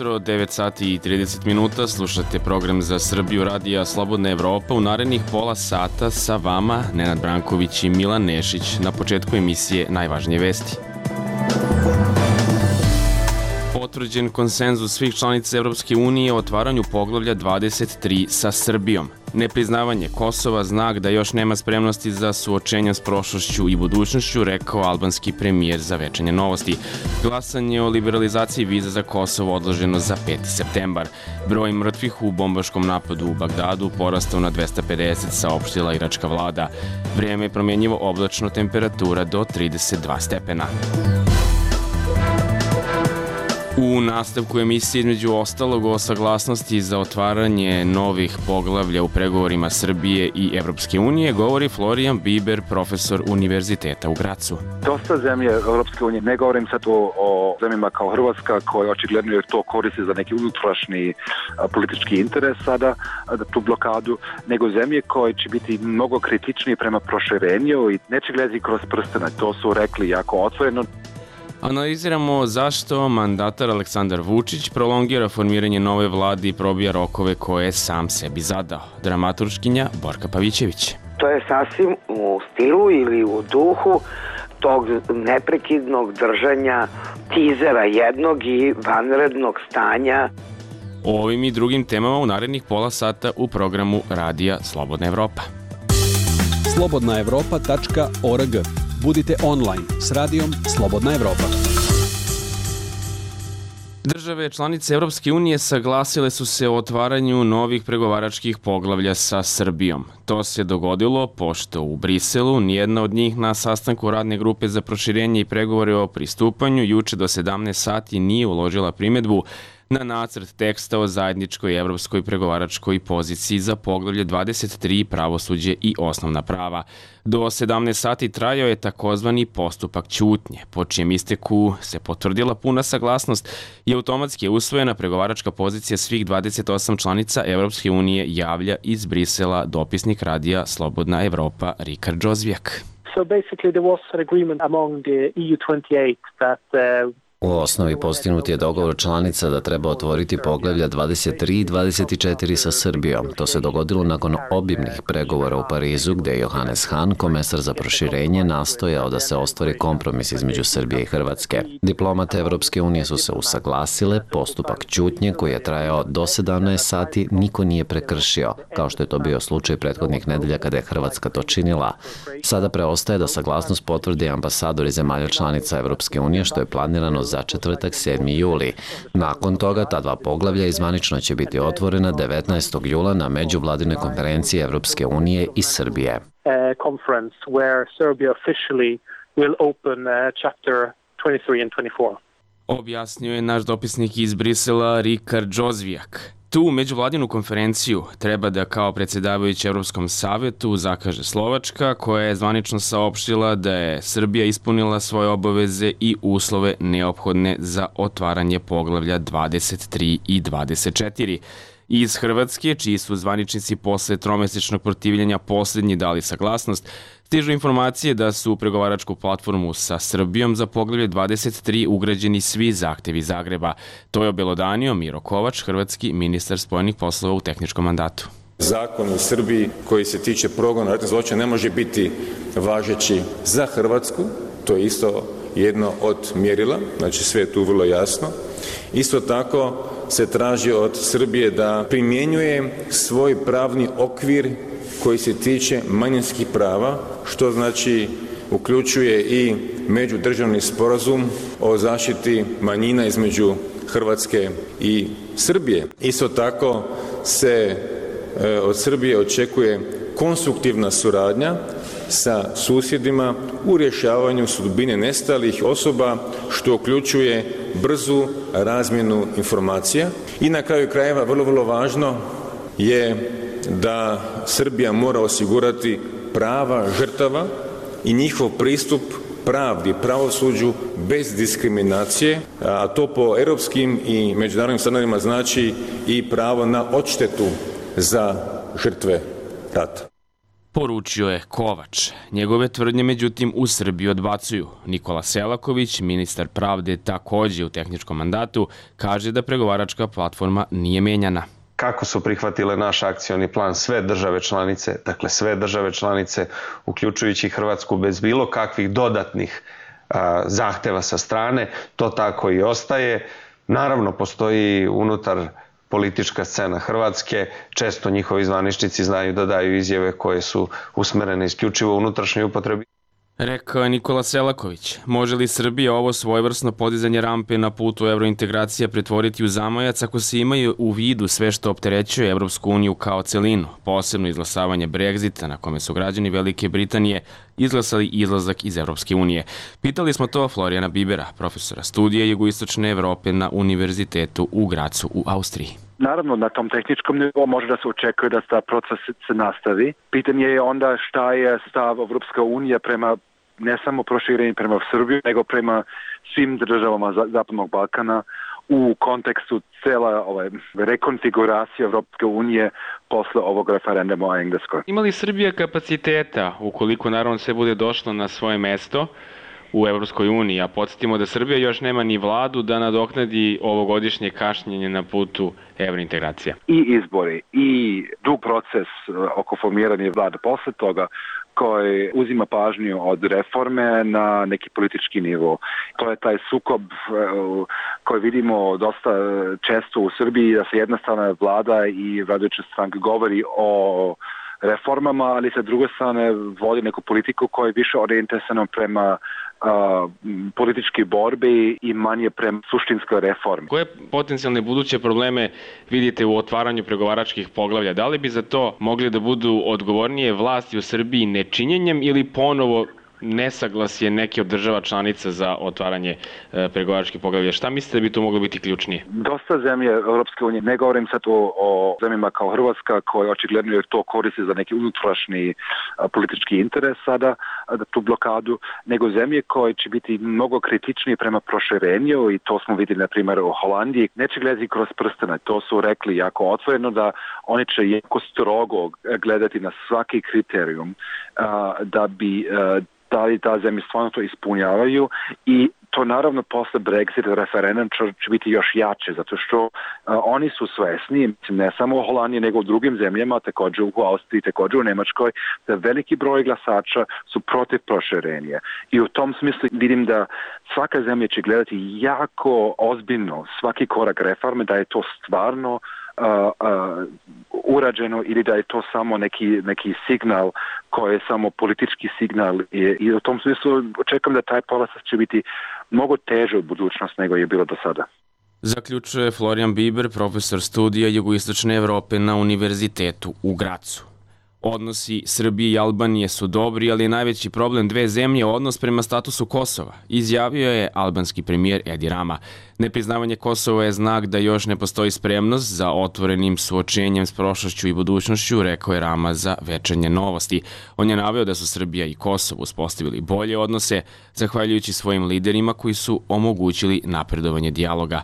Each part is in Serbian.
jutro, 9 sati i 30 minuta, slušate program za Srbiju radija Slobodna Evropa. U narednih pola sata sa vama Nenad Branković i Milan Nešić. Na početku emisije najvažnije vesti. Potvrđen konsenzus svih članica Evropske unije o otvaranju poglavlja 23 sa Srbijom. Nepriznavanje Kosova znak da još nema spremnosti za suočenja s prošlošću i budućnošću, rekao albanski premijer za Večernje novosti. Glasanje o liberalizaciji viza za Kosovo odloženo za 5. septembar. Broj mrtvih u bombaškom napadu u Bagdadu porastao na 250, saopštila iračka vlada. Vrijeme je promjenjivo, oblačno, temperatura do 32 stepena. U nastavku emisije između ostalog o saglasnosti za otvaranje novih poglavlja u pregovorima Srbije i Evropske unije govori Florijan Biber, profesor Univerziteta u Gracu. Dosta zemlje Evropske unije, ne govorim sad o zemljama kao Hrvatska, koje očigledno je to koristi za neki unutrašnji politički interes sada, tu blokadu, nego zemlje koje će biti mnogo kritičnije prema proširenju i neće gledati kroz prstena. To su rekli jako otvoreno. Analiziramo zašto mandatar Aleksandar Vučić prolongira formiranje nove vlade i probija rokove koje je sam sebi zadao. Dramaturškinja Borka Pavićević. To je sasvim u stilu ili u duhu tog neprekidnog držanja tizera jednog i vanrednog stanja. O ovim i drugim temama u narednih pola sata u programu Radija Slobodna Evropa. slobodnaevropa.org. Budite online s radijom Slobodna Evropa. Države članice Evropske unije saglasile su se o otvaranju novih pregovaračkih poglavlja sa Srbijom. To se dogodilo pošto u Briselu nijedna od njih na sastanku radne grupe za proširenje i pregovore o pristupanju juče do 17 sati nije uložila primedbu na nacrt teksta o zajedničkoj evropskoj pregovaračkoj poziciji za poglavlje 23 pravosuđe i osnovna prava. Do 17 sati trajao je takozvani postupak ćutnje, po čijem isteku se potvrdila puna saglasnost i automatski je usvojena pregovaračka pozicija svih 28 članica Evropske unije, javlja iz Brisela dopisnik radija Slobodna Evropa Rikard Džozvijak. So basically there was an agreement among the EU28 that U osnovi postignut je dogovor članica da treba otvoriti poglavlja 23 i 24 sa Srbijom. To se dogodilo nakon obimnih pregovora u Parizu, gde je Johannes Hahn, komesar za proširenje, nastojao da se ostvari kompromis između Srbije i Hrvatske. Diplomate Evropske unije su se usaglasile, postupak ćutnje koji je trajao do 17 sati niko nije prekršio, kao što je to bio slučaj prethodnih nedelja kada je Hrvatska to činila. Sada preostaje da saglasnost potvrde ambasadori zemalja članica Evropske unije, što je planirano za četvrtak 7. juli. Nakon toga ta dva poglavlja izvanično će biti otvorena 19. jula na međuvladinoj konferenciji Evropske unije i Srbije. Conference where Serbia officially will open chapter 23 and 24. Objasnio je naš dopisnik iz Brisela Rikard Džozvijak. Tu međuvladinu konferenciju treba da kao predsjedavajući Evropskom savetu zakaže Slovačka, koja je zvanično saopštila da je Srbija ispunila svoje obaveze i uslove neophodne za otvaranje poglavlja 23 i 24. Iz Hrvatske, čiji su zvaničnici posle tromesečnog protivljenja posljednji dali saglasnost, stižu informacije da su u pregovaračku platformu sa Srbijom za poglavlje 23 ugrađeni svi zahtevi Zagreba. To je obelodanio Miro Kovač, hrvatski ministar spojenih poslova u tehničkom mandatu. Zakon u Srbiji koji se tiče progona ratnih zločina ne može biti važeći za Hrvatsku, to je isto jedno od mjerila, znači sve je tu vrlo jasno. Isto tako se traži od Srbije da primjenjuje svoj pravni okvir koji se tiče manjinskih prava, što znači uključuje i međudržavni sporazum o zaštiti manjina između Hrvatske i Srbije. Isto tako se od Srbije očekuje konstruktivna suradnja sa susjedima u rješavanju sudbine nestalih osoba, što uključuje brzu razmjenu informacija. I na kraju krajeva vrlo važno je da Srbija mora osigurati prava žrtava i njihov pristup pravdi, pravosuđu bez diskriminacije, a to po europskim i međunarodnim standardima znači i pravo na odštetu za žrtve rata. Poručio je Kovač. Njegove tvrdnje međutim u Srbiji odbacuju. Nikola Selaković, ministar pravde takođe u tehničkom mandatu, kaže da pregovaračka platforma nije menjana. Kako su prihvatile naš akcioni plan sve države članice, dakle sve države članice, uključujući Hrvatsku bez bilo kakvih dodatnih zahteva sa strane, to tako i ostaje. Naravno, postoji unutar politička scena Hrvatske, često njihovi zvaničnici znaju da daju izjave koje su usmerene isključivo unutrašnjoj upotrebi. Rekao je Nikola Selaković. Može li Srbija ovo svojevrsno podizanje rampe na putu evrointegracija pretvoriti u zamajac ako se imaju u vidu sve što opterećuje Evropsku uniju kao celinu, posebno izglasavanje Brexita na kome su građani Velike Britanije izglasali izlazak iz Evropske unije? Pitali smo to Florijana Bibera, profesora studija Jugoistočne Evrope na Univerzitetu u Gracu u Austriji. Naravno, na tom tehničkom nivou može da se očekuje da ta proces se nastavi. Pitanje je onda šta je stav Evropska unija prema ne samo proširenju prema Srbiju, nego prema svim državama Zapadnog Balkana u kontekstu cela rekonfiguracije Evropske unije posle ovog referenduma o Engleskoj. Ima li Srbija kapaciteta, ukoliko naravno sve bude došlo na svoje mesto u Evropskoj uniji, a podsjetimo da Srbija još nema ni vladu da nadoknadi ovogodišnje kašnjenje na putu evrointegracija? I izbori, i dug proces oko formiranja vlade posle toga, koji uzima pažnju od reforme na neki politički nivo. To je taj sukob koji vidimo dosta često u Srbiji, da se jedna strana vlada i vladajuća stranka govori o reformama, ali sa druge strane vodi neku politiku koja je više orijentisana prema političke borbe i manje prema suštinskoj reformi. Koje potencijalne buduće probleme vidite u otvaranju pregovaračkih poglavlja? Da li bi za to mogli da budu odgovornije vlasti u Srbiji nečinjenjem ili ponovo nesaglasje neke od država članica za otvaranje pregovaračkih poglavlja? Šta mislite da bi to moglo biti ključnije? Dosta zemlje Europske unije, ne govorim sad o zemljama kao Hrvatska, koje očigledno je to koristi za neki unutrašnji politički interes sada, tu blokadu, nego zemlje koje će biti mnogo kritičnije prema proširenju i to smo vidjeli na primjer u Holandiji. Neće gledati kroz prstene, to su rekli jako otvoreno da oni će jako strogo gledati na svaki kriterijum da bi da li ta zemlja stvarno to ispunjavaju i to naravno posle Brexit referendum će biti još jače, zato što oni su svesni, ne samo u Holandiji, nego u drugim zemljama, također u Austriji, također u Nemačkoj, da veliki broj glasača su protiv proširenja. I u tom smislu vidim da svaka zemlja će gledati jako ozbiljno svaki korak reforme, da je to stvarno urađeno ili da je to samo neki signal koji je samo politički signal i u tom smislu očekujem da taj polasak će biti mnogo teže u budućnosti nego je bilo do sada. Zaključuje Florijan Biber, profesor studija Jugoistočne Evrope na Univerzitetu u Gracu. Odnosi Srbije i Albanije su dobri, ali je najveći problem dve zemlje odnos prema statusu Kosova, izjavio je albanski premijer Edi Rama. Nepriznavanje Kosova je znak da još ne postoji spremnost za otvorenim suočenjem s prošlošću i budućnošću, rekao je Rama za Večernje novosti. On je naveo da su Srbija i Kosovo uspostavili bolje odnose, zahvaljujući svojim liderima koji su omogućili napredovanje dijaloga.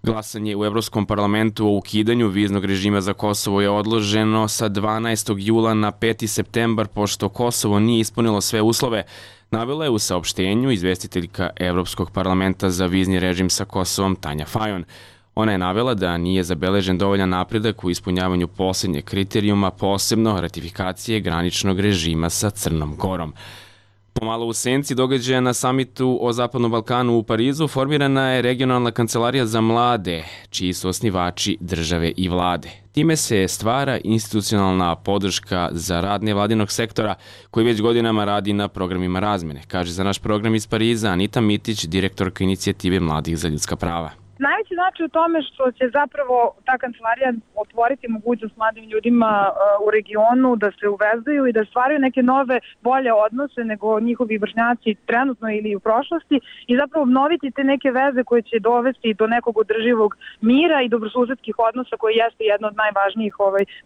Glasanje u Evropskom parlamentu o ukidanju viznog režima za Kosovo je odloženo sa 12. jula na 5. septembar, pošto Kosovo nije ispunilo sve uslove, navela je u saopštenju izvestiteljka Evropskog parlamenta za vizni režim sa Kosovom Tanja Fajon. Ona je navela da nije zabeležen dovoljan napredak u ispunjavanju posljednjeg kriterijuma, posebno ratifikacije graničnog režima sa Crnom Gorom. Pomalo u senci događaja na samitu o Zapadnom Balkanu u Parizu formirana je regionalna kancelarija za mlade, čiji su osnivači države i vlade. Time se stvara institucionalna podrška za rad nevladinog sektora koji već godinama radi na programima razmene, kaže za naš program iz Pariza Anita Mitić, direktorka inicijative Mladih za ljudska prava. Najveći znači u tome što će zapravo ta kancelarija otvoriti mogućnost mladim ljudima u regionu da se uvezuju i da stvaraju neke nove, bolje odnose nego njihovi vršnjaci trenutno ili u prošlosti i zapravo obnoviti te neke veze koje će dovesti do nekog održivog mira i dobrosusedskih odnosa koji jeste jedna od najvažnijih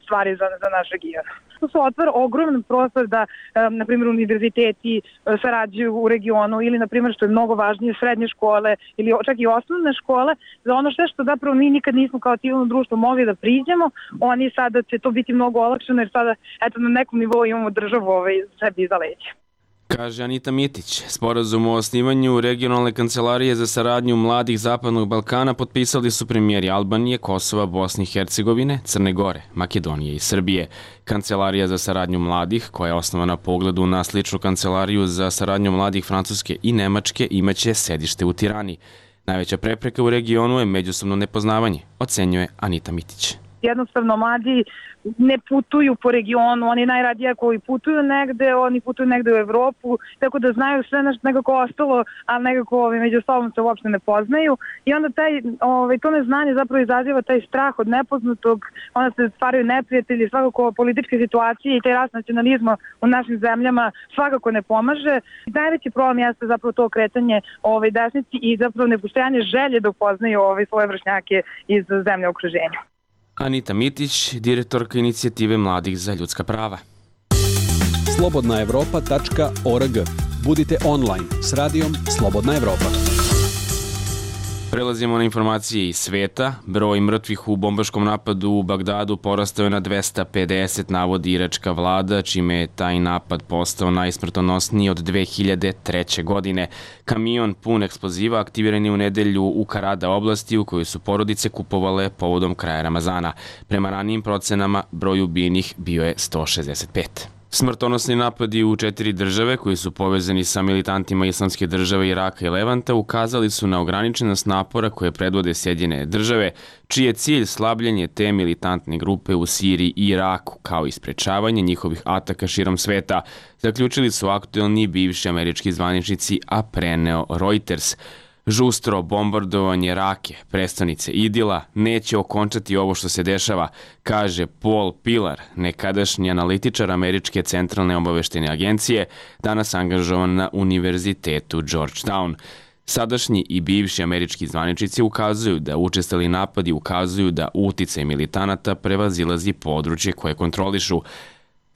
stvari za naš region. To se otvara ogroman prostor da, na primjer, univerziteti sarađuju u regionu ili, na primjer, što je mnogo važnije, srednje škole ili čak i osnovne škole, za ono sve što zapravo mi nikad nismo kao civilno društvo mogli da priđemo, oni sada će to biti mnogo olakšeno jer sada, eto, na nekom nivou imamo državu sebi iza leđa. Kaže Anita Mitić. Sporazum o osnivanju regionalne kancelarije za saradnju mladih Zapadnog Balkana potpisali su premijeri Albanije, Kosova, Bosne i Hercegovine, Crne Gore, Makedonije i Srbije. Kancelarija za saradnju mladih, koja je osnovana po ugledu na sličnu kancelariju za saradnju mladih Francuske i Nemačke, imaće sedište u Tirani. Najveća prepreka u regionu je međusobno nepoznavanje, ocenjuje Anita Mitić. Jednostavno, mladi ne putuju po regionu, oni najradije ako i putuju negde, oni putuju negde u Evropu, tako da znaju sve nešto nekako ostalo, ali nekako među sobom se uopšte ne poznaju i onda to neznanje zapravo izaziva taj strah od nepoznatog, onda se stvaraju neprijatelji, svakako političke situacije i taj rast nacionalizma u našim zemljama svakako ne pomaže. Najveći problem jeste zapravo to okretanje desnici i zapravo nepostojanje želje da upoznaju svoje vršnjake iz zemlje okruženja. Anita Mitić, direktorka inicijative Mladih za ljudska prava. slobodnaevropa.org. Budite online s radijom Slobodna Evropa. Prelazimo na informacije iz sveta. Broj mrtvih u bombaškom napadu u Bagdadu porastao je na 250, navodi iračka vlada, čime je taj napad postao najsmrtonosniji od 2003. godine. Kamion pun eksploziva aktiviran je u nedelju u Karada oblasti u kojoj su porodice kupovale povodom kraja Ramazana. Prema ranijim procenama, broj ubijenih bio je 165. Smrtonosni napadi u 4 države koji su povezani sa militantima Islamske države Iraka i Levanta ukazali su na ograničenost napora koje predvode Sjedinjene države, čiji je cilj slabljenje te militantne grupe u Siriji i Iraku, kao i sprečavanje njihovih ataka širom sveta, zaključili su aktuelni i bivši američki zvaničnici, a preneo Reuters. Žustro bombardovanje Rake, prestonice Idila, neće okončati ovo što se dešava, kaže Paul Pillar, nekadašnji analitičar Američke centralne obaveštajne agencije, danas angažovan na Univerzitetu Georgetown. Sadašnji i bivši američki zvaničnici ukazuju da učestali napadi ukazuju da uticaj militanata prevazilazi područje koje kontrolišu.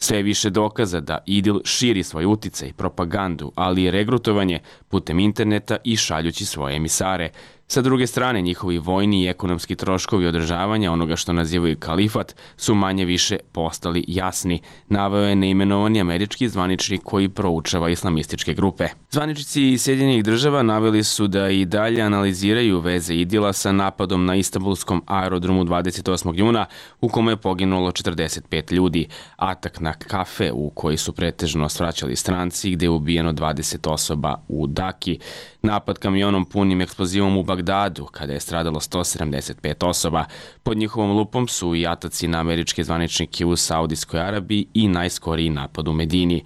Sve je više dokaza da IDIL širi svoj uticaj, propagandu, ali i regrutovanje putem interneta i šaljući svoje emisare. Sa druge strane, njihovi vojni i ekonomski troškovi održavanja onoga što nazivaju kalifat su manje više postali jasni, naveo je neimenovani američki zvaničnik koji proučava islamističke grupe. Zvaničnici iz Sjedinjenih država naveli su da i dalje analiziraju veze IDIL-a sa napadom na Istanbulskom aerodromu 28. juna u kome je poginulo 45 ljudi, atak na kafe u koji su pretežno svraćali stranci gde je ubijeno 20 osoba u Daki, napad kamionom punim eksplozivom u Bagdadu, kada je stradalo 175 osoba. Pod njihovom lupom su i ataci na američke zvaničnike u Saudijskoj Arabiji i najskoriji napad u Medini.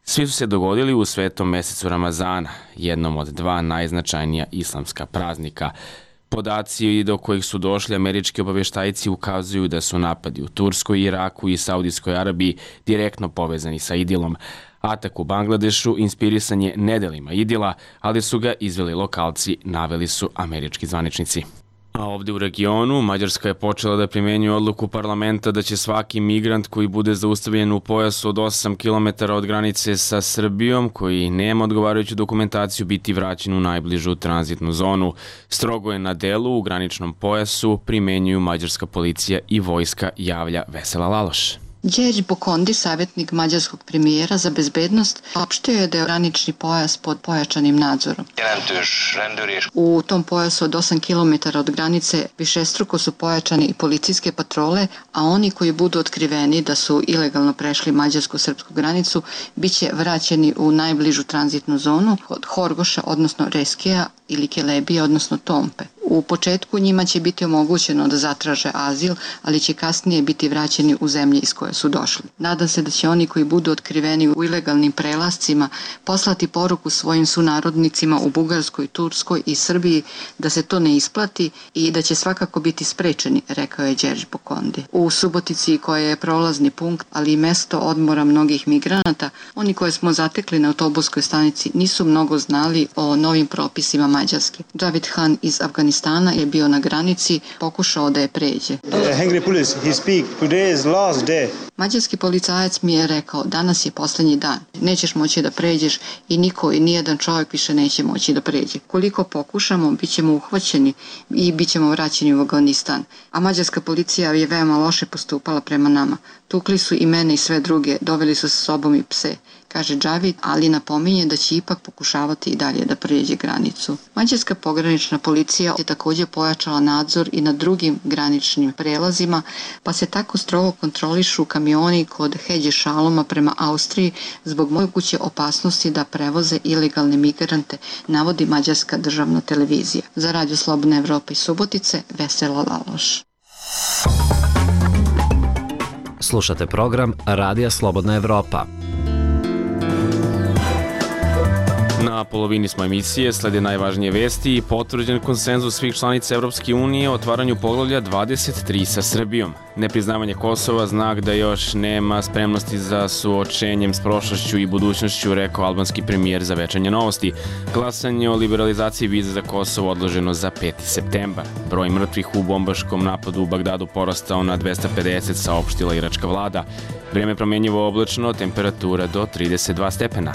Svi su se dogodili u svetom mesecu Ramazana, jednom od dva najznačajnija islamska praznika. Podaci do kojih su došli američki obaveštajci ukazuju da su napadi u Turskoj, Iraku i Saudijskoj Arabiji direktno povezani sa IDIL-om. Atak u Bangladešu inspirisan je nedelima IDIL-a, ali su ga izveli lokalci, naveli su američki zvaničnici. A ovde u regionu, Mađarska je počela da primenjuje odluku parlamenta da će svaki migrant koji bude zaustavljen u pojasu od 8 km od granice sa Srbijom, koji nema odgovarajuću dokumentaciju, biti vraćen u najbližu tranzitnu zonu. Strogo je na delu u graničnom pojasu primenjuju mađarska policija i vojska, javlja Vesela Laloš. Đerđ Bokondi, savjetnik mađarskog premijera za bezbednost, opštio je da je granični pojas pod pojačanim nadzorom. U tom pojasu od 8 km od granice višestruko su pojačane i policijske patrole, a oni koji budu otkriveni da su ilegalno prešli mađarsko-srpsku granicu biće vraćeni u najbližu tranzitnu zonu od Horgoša, odnosno Reskija, ili Kelebije, odnosno Tompe. U početku njima će biti omogućeno da zatraže azil, ali će kasnije biti vraćeni u zemlje iz koje su došli. Nadam se da će oni koji budu otkriveni u ilegalnim prelascima poslati poruku svojim sunarodnicima u Bugarskoj, Turskoj i Srbiji da se to ne isplati i da će svakako biti sprečeni, rekao je Đerđ Bokondi. U Subotici, koja je prolazni punkt, ali i mesto odmora mnogih migranata, oni koje smo zatekli na autobuskoj stanici nisu mnogo znali o novim propisima Mađarske. David Han iz Afganistana je bio na granici, pokušao da je pređe. Mađarski policajac mi je rekao, danas je poslednji dan, nećeš moći da pređeš i niko i nijedan čovjek više neće moći da pređe. Koliko pokušamo, bit ćemo uhvaćeni i bit ćemo vraćeni u Afganistan. A mađarska policija je veoma loše postupala prema nama. Tukli su i mene i sve druge, doveli su sa sobom i pse, kaže Džavid, ali napominje da će ipak pokušavati i dalje da pređe granicu. Mađarska pogranična policija je također pojačala nadzor i na drugim graničnim prelazima, pa se tako strogo kontrolišu kamioni kod Hedje Šaloma prema Austriji zbog moguće opasnosti da prevoze ilegalne migrante, navodi mađarska državna televizija. Za Radio Slobodna Evropa iz Subotice, Vesela Laloš. Slušate program Radija Slobodna Evropa. Na polovini smo emisije, slede najvažnije vesti i potvrđen konsenzus svih članica Evropske unije o otvaranju poglavlja 23 sa Srbijom. Nepriznavanje Kosova znak da još nema spremnosti za suočenjem s prošlošću i budućnošću, rekao albanski premijer za Večernje novosti. Glasanje o liberalizaciji viza za Kosovo odloženo za 5. septembar. Broj mrtvih u bombaškom napadu u Bagdadu porastao na 250, saopštila iračka vlada. Vrijeme promenjivo oblačno, temperatura do 32 stepena.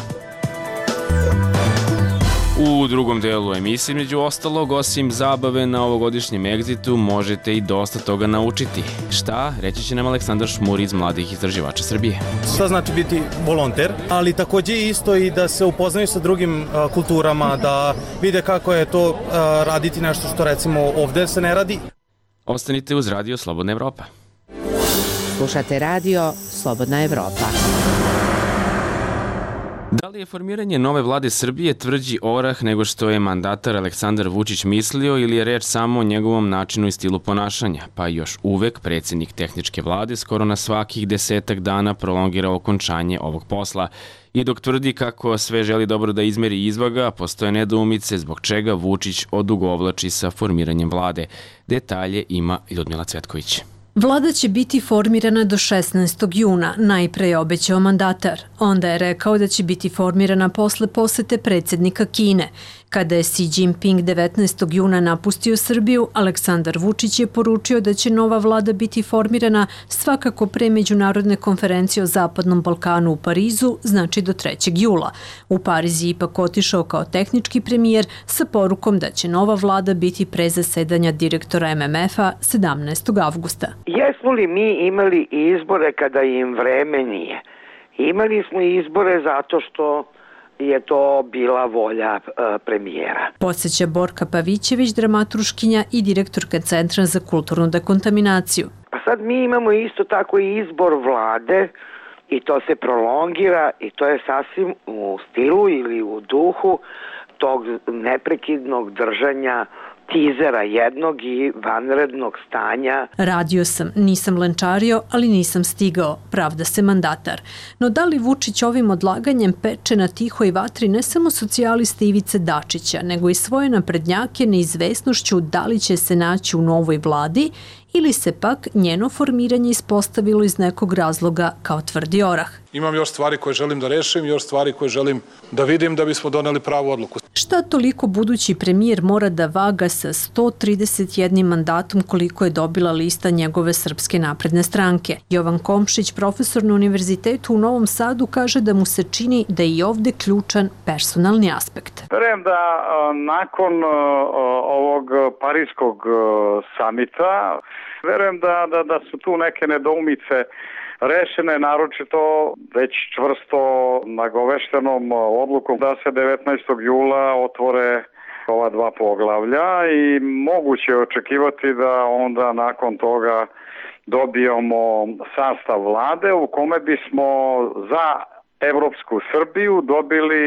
U drugom delu emisije, među ostalog, osim zabave na ovogodišnjem egzitu, možete i dosta toga naučiti. Šta? Reći će nam Aleksandar Šmur iz Mladih istraživača Srbije. Šta znači biti volonter, ali takođe isto i da se upoznaju sa drugim kulturama, da vide kako je to raditi nešto što recimo ovde se ne radi. Ostanite uz Radio Slobodna Evropa. Slušate Radio Slobodna Evropa. Da li je formiranje nove vlade Srbije tvrđi orah nego što je mandatar Aleksandar Vučić mislio ili je reč samo o njegovom načinu i stilu ponašanja? Pa još uvek predsjednik tehničke vlade skoro na svakih 10 dana prolongira okončanje ovog posla. I dok tvrdi kako sve želi dobro da izmeri i izvaga, postoje nedoumice zbog čega Vučić odugovlači sa formiranjem vlade. Detalje ima Ljudmila Cvetković. Vlada će biti formirana do 16. juna, najpre je obećao mandatar. Onda je rekao da će biti formirana posle posete predsjednika Kine. Kada je Xi Jinping 19. juna napustio Srbiju, Aleksandar Vučić je poručio da će nova vlada biti formirana svakako pre međunarodne konferencije o Zapadnom Balkanu u Parizu, znači do 3. jula. U Pariz je ipak otišao kao tehnički premijer sa porukom da će nova vlada biti pre zasedanja direktora MMF-a 17. avgusta. Jesmo li mi imali izbore kada im vreme nije? Imali smo izbore zato što je to bila volja premijera. Podsjeća Borka Pavićević, dramaturškinja i direktorka Centra za kulturnu dekontaminaciju. Pa sad mi imamo isto tako izbor vlade i to se prolongira i to je sasvim u stilu ili u duhu tog neprekidnog držanja tizera jednog i vanrednog stanja. Radio sam, nisam lenčario, ali nisam stigao, pravda se mandatar. No da li Vučić ovim odlaganjem peče na tihoj vatri ne samo socijaliste Ivice Dačića, nego i svoje naprednjake neizvesnošću da li će se naći u novoj vladi ili se pak njeno formiranje ispostavilo iz nekog razloga kao tvrdi orah. Imam još stvari koje želim da rešim, još stvari koje želim da vidim da bismo doneli pravu odluku. Šta toliko budući premijer mora da vaga sa 131 mandatom koliko je dobila lista njegove Srpske napredne stranke? Jovan Komšić, profesor na Univerzitetu u Novom Sadu, kaže da mu se čini da je i ovde ključan personalni aspekt. Verujem da nakon ovog Pariskog samita, verujem da su tu neke nedoumice rešene, naročito već čvrsto nagoveštenom odlukom da se 19. jula otvore ova dva poglavlja i moguće je očekivati da onda nakon toga dobijemo sastav vlade u kome bismo za Evropsku Srbiju dobili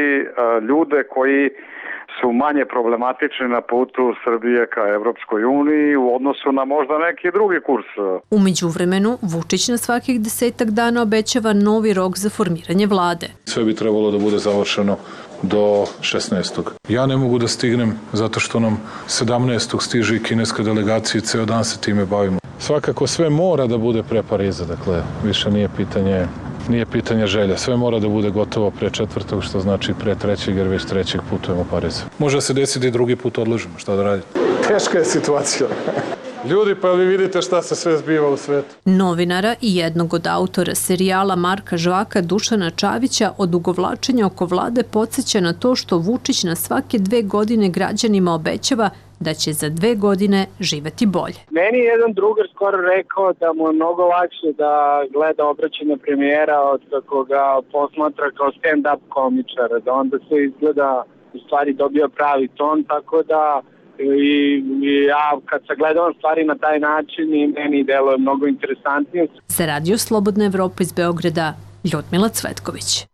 ljude koji su manje problematični na putu Srbije ka Evropskoj uniji u odnosu na možda neki drugi kurs. U međuvremenu, Vučić na svakih 10 dana obećava novi rok za formiranje vlade. Sve bi trebalo da bude završeno do 16. Ja ne mogu da stignem zato što nam 17. stiže i kineska delegacija i ceo dan se time bavimo. Svakako sve mora da bude pre Pariza, dakle više nije pitanje želja. Sve mora da bude gotovo pre 4. što znači pre 3. jer već 3. putujemo u Pariz. Može se desiti i drugi put odložimo, šta da radite? Teška je situacija. Ljudi, pa vi vidite šta se sve zbiva u svetu. Novinara i jednog od autora serijala Marka Žvaka Dušana Čavića odugovlačenje oko vlade podsjeća na to što Vučić na svake 2 godine građanima obećava da će za 2 godine živeti bolje. Meni je jedan drugar skoro rekao da mu je mnogo lakše da gleda obraćanje premijera od kako ga posmatra kao stand-up komičara, da onda sve izgleda u stvari dobio pravi ton, tako da i ja kad sagledavam stvari na taj način i meni deluje mnogo interesantnije. Za Radio Slobodna Evropa iz Beograda, Ljudmila Cvetković.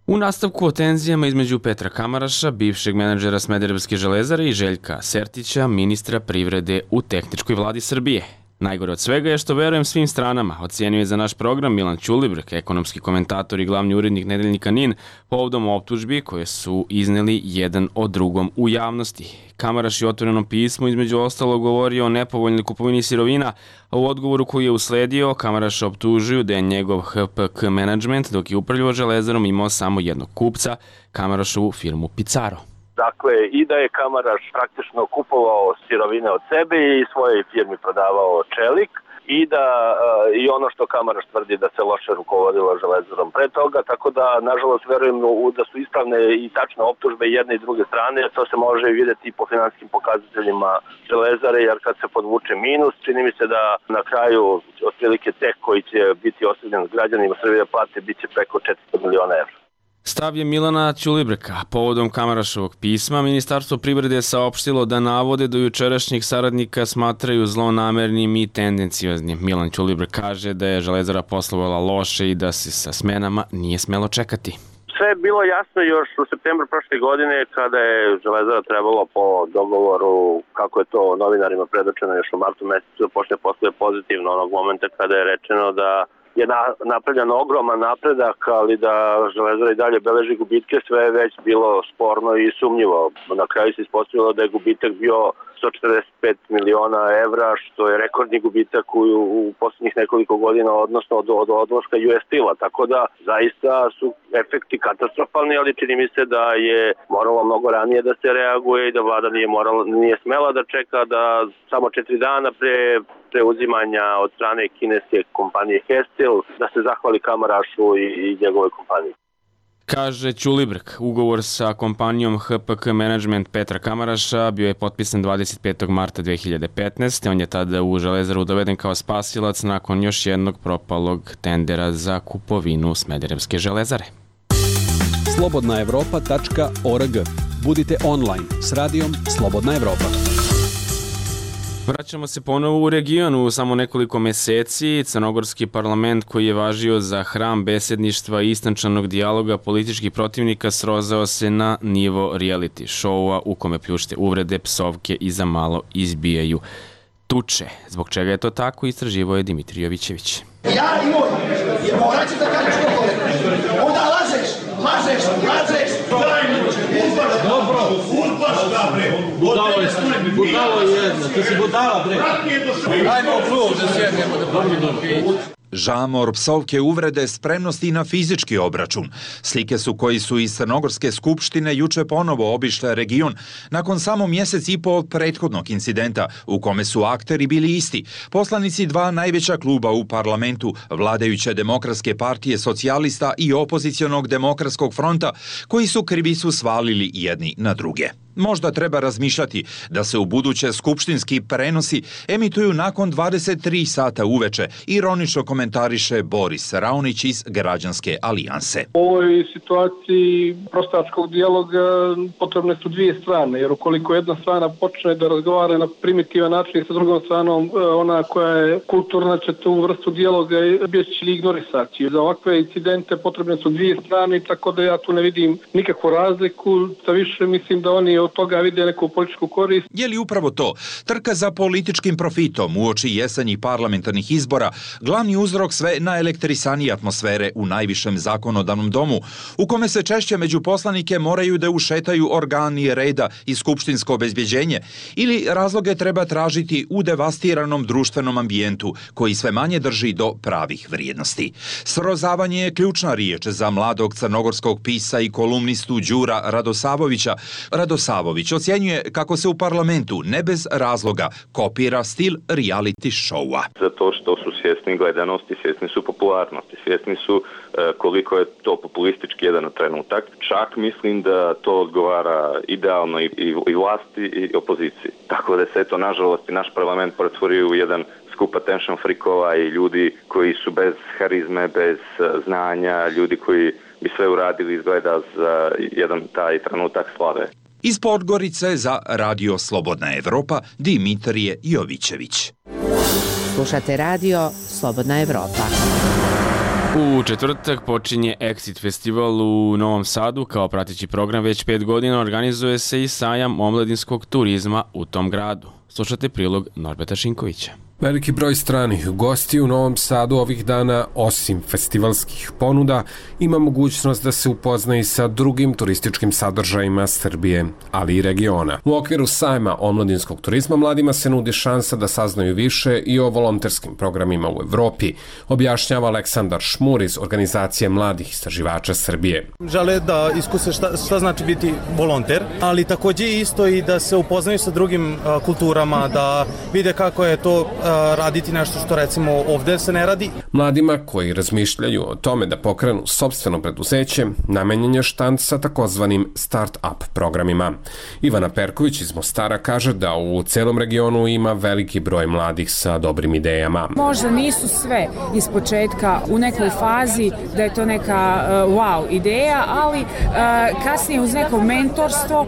U nastavku o tenzijama između Petra Kamaraša, bivšeg menadžera Smederevske železare, i Željka Sertića, ministra privrede u tehničkoj vladi Srbije. Najgore od svega je što verujem svim stranama, ocenio je za naš program Milan Ćulibrk, ekonomski komentator i glavni urednik nedeljnika NIN, povodom optužbi koje su izneli jedan o drugom u javnosti. Kamaraš je u otvorenom pismu između ostalog govorio o nepovoljnoj kupovini sirovina, a u odgovoru koji je usledio, Kamaraša optužuju da je njegov HPK menadžment, dok je upravljao železarom, imao samo jednog kupca, Kamarašovu firmu Pizarro. Dakle, i da je Kamaraš praktično kupovao sirovine od sebe i svojoj firmi prodavao čelik i da i ono što Kamaraš tvrdi da se loše rukovodilo železarom pre toga, tako da nažalost verujem da su ispravne i tačne optužbe jedne i druge strane, to se može vidjeti i po finansijskim pokazateljima železare, jer kad se podvuče minus, čini mi se da na kraju otprilike tek koji će biti ostavljen građanima Srbije plate biće preko 400 miliona evra. Stav je Milana Ćulibrka. Povodom Kamarašovog pisma, Ministarstvo privrede je saopštilo da navode do jučerašnjih saradnika smatraju zlonamernim i tendencioznim. Milan Ćulibrk kaže da je železara poslovala loše i da se sa smenama nije smelo čekati. Sve je bilo jasno još u septembru prošle godine kada je železara trebalo po dogovoru, kako je to novinarima predočeno još u martu mesecu, da počne poslove pozitivno onog momenta kada je rečeno da je napravljen ogroman napredak, ali da železara i dalje beleži gubitke, sve je već bilo sporno i sumnjivo. Na kraju se ispostavilo da je gubitak bio 145 miliona evra, što je rekordni gubitak u poslednjih nekoliko godina, odnosno od odlaska US Steel-a. Tako da zaista su efekti katastrofalni, ali čini mi se da je moralo mnogo ranije da se reaguje i da vlada nije smela da čeka da samo 4 dana pre preuzimanja od strane kineske kompanije Hestil da se zahvali Kamarašu i njegove kompanije. Kaže Ćulibrk, ugovor sa kompanijom HPK Management Petra Kamaraša bio je potpisan 25. marta 2015. On je tada u železaru doveden kao spasilac nakon još jednog propalog tendera za kupovinu Smederevske železare. slobodnaevropa.org. Budite online s radijom Slobodna Evropa. Vraćamo se ponovo u region. U samo nekoliko meseci crnogorski parlament, koji je važio za hram besedništva i istančanog dijaloga političkih protivnika, srozao se na nivo reality showa u kome pljušte uvrede, psovke i za malo izbijaju tuče. Zbog čega je to tako, istraživao je Dimitrij Jovićević. Ja i moj, jer morat ću da kažeš što kole. Onda lažeš. Dobro, urbaš da bre. Budalo je jedna, ti si budala bre. Ajmo u klub da sjednemo da pomidom pić. Žamor, psovke, uvrede, spremnosti na fizički obračun. Slike su koji su iz Crnogorske skupštine juče ponovo obišle region nakon samo mjesec i po od prethodnog incidenta u kome su akteri bili isti. Poslanici dva najveća kluba u parlamentu, vladajuće Demokratske partije socijalista i opozicionog Demokratskog fronta, koji su krivicu svalili jedni na druge. Možda treba razmišljati da se u buduće skupštinski prenosi emituju nakon 23 sata uveče, ironično komentariše Boris Raonić iz Građanske alijanse. U ovoj situaciji prostačkog dijaloga potrebne su dvije strane, jer ukoliko jedna strana počne da razgovara na primitivan način sa drugom stranom, ona koja je kulturna će tu vrstu dijaloga će ignorisati. Za ovakve incidente potrebne su dvije strane, tako da ja tu ne vidim nikakvu razliku, sa više mislim da oni od toga vide neku političku korist. Je li upravo to, trka za političkim profitom uoči jesenjih parlamentarnih izbora, glavni uzrok sve naelektrisanije atmosfere u najvišem zakonodavnom domu, u kome se češće među poslanike moraju da ušetaju organi reda i skupštinsko obezbjeđenje, ili razloge treba tražiti u devastiranom društvenom ambijentu, koji sve manje drži do pravih vrijednosti. Srozavanje je ključna riječ za mladog crnogorskog pisa i kolumnistu Đura Radosavovića. Radosavović Savović ocjenjuje kako se u parlamentu ne bez razloga kopira stil reality showa. Zato što su svjesni gledanosti, svjesni su popularnosti, svjesni su koliko je to populistički jedan trenutak. Čak mislim da to odgovara idealno i vlasti i opoziciji. Tako da se to nažalost i naš parlament pretvorio u jedan skup attention freakova i ljudi koji su bez harizme, bez znanja, ljudi koji bi sve uradili izgleda za jedan taj trenutak slave. Iz Podgorice za Radio Slobodna Evropa Dimitrije Jovićević. Slušate radio Slobodna Evropa. U četvrtak počinje Exit festival u Novom Sadu. Kao prateći program već 5 godina organizuje se i sajam omladinskog turizma u tom gradu. Slušate prilog Norbeta Šinkovića. Veliki broj stranih gostiju u Novom Sadu ovih dana, osim festivalskih ponuda, ima mogućnost da se upozna i sa drugim turističkim sadržajima Srbije, ali i regiona. U okviru sajma omladinskog turizma mladima se nudi šansa da saznaju više i o volonterskim programima u Evropi, objašnjava Aleksandar Šmur iz organizacije mladih istraživača Srbije. Žele da iskuse šta znači biti volonter, ali takođe isto i da se upoznaju sa drugim kulturama, da vide kako je to raditi nešto što recimo ovde se ne radi. Mladima koji razmišljaju o tome da pokrenu sopstveno preduzeće, namenjen je štand sa takozvanim start-up programima. Ivana Perković iz Mostara kaže da u celom regionu ima veliki broj mladih sa dobrim idejama. Možda nisu sve iz početka u nekoj fazi da je to neka wow ideja, ali kasnije uz neko mentorstvo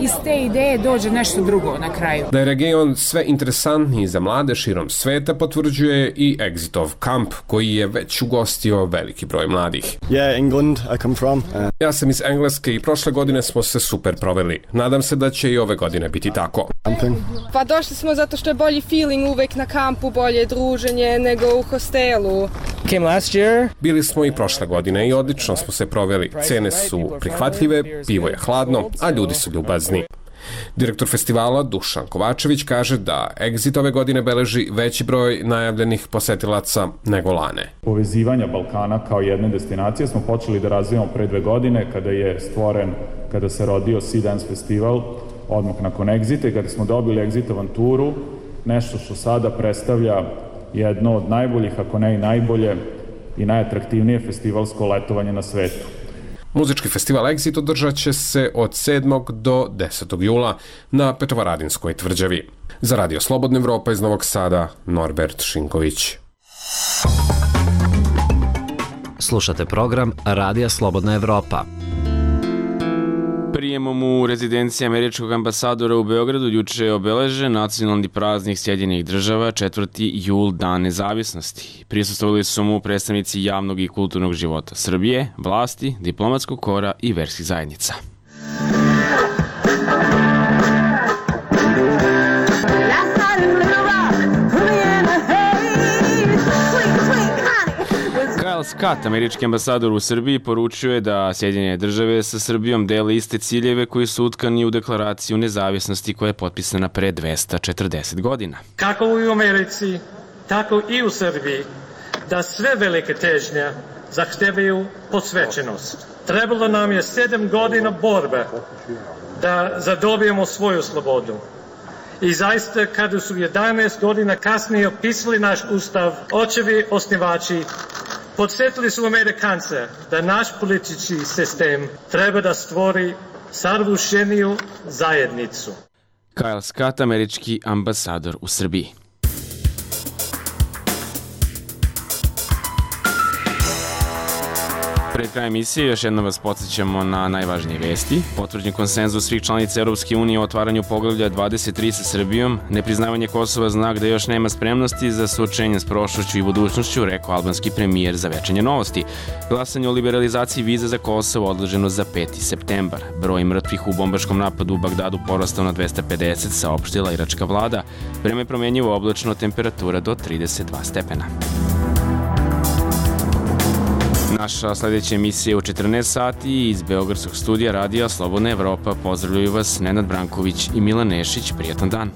iz te ideje dođe nešto drugo na kraju. Da je region sve interesantniji za mlade širom sveta potvrđuje i Exitov kamp koji je već ugostio veliki broj mladih. England, I come from. Ja sam iz Engleske i prošle godine smo se super proveli. Nadam se da će i ove godine biti tako. Pa došli smo zato što je bolji feeling uvek na kampu, bolje druženje nego u hostelu. Came last year. Bili smo i prošle godine i odlično smo se proveli. Cene su prihvatljive, pivo je hladno, a ljudi su ljubazni. Direktor festivala Dušan Kovačević kaže da Exit ove godine beleži veći broj najavljenih posetilaca nego lane. Povezivanja Balkana kao jedne destinacije smo počeli da razvijamo pre 2 godine kada se rodio Sea Dance festival, odmah nakon Exita i kada smo dobili Exit avanturu, nešto što sada predstavlja jedno od najboljih, ako ne i najbolje i najatraktivnije festivalsko letovanje na svetu. Muzički festival Exit održat će se od 7. do 10. jula na Petrovaradinskoj tvrđavi. Za Radio Slobodna Evropa iz Novog Sada, Norbert Šinković. Slušate program Radija Slobodna Evropa. Prijemom u rezidenciji američkog ambasadora u Beogradu juče je obeležen nacionalni praznik Sjedinjenih Država, 4. jul, Dan nezavisnosti. Prisustvovali su mu predstavnici javnog i kulturnog života Srbije, vlasti, diplomatskog kora i verskih zajednica. Kyle Scott, američki ambasador u Srbiji, poručuje da Sjedinjene Države sa Srbijom dele iste ciljeve koji su utkani u deklaraciju nezavisnosti koja je potpisana pre 240 godina. Kako u Americi, tako i u Srbiji, da sve velike težnje zahtevaju posvećenost. Trebalo nam je 7 godina borbe da zadobijemo svoju slobodu. I zaista, kada su 11 godina kasnije opisali naš ustav, očevi osnivači podsjetili su Amerikance da naš politički sistem treba da stvori savršeniju zajednicu. Kyle Scott, američki ambasador u Srbiji. Pred krajem emisije još jednom vas podsjećamo na najvažnije vesti. Potvrđen konsenzus svih članica Europske unije o otvaranju poglavlja 23 sa Srbijom. Nepriznavanje Kosova znak da još nema spremnosti za suočenje s prošlošću i budućnošću, rekao albanski premijer za Večernje novosti. Glasanje o liberalizaciji viza za Kosovo odloženo za 5. septembar. Broj mrtvih u bombaškom napadu u Bagdadu porastao na 250, saopštila iračka vlada. Vreme promenjivo oblačno, temperatura do 32 stepena. Naša sledeća emisija je u 14 sati iz Beogradskog studija Radija Slobodna Evropa. Pozdravljaju vas Nenad Branković i Milan Nešić. Prijatan dan.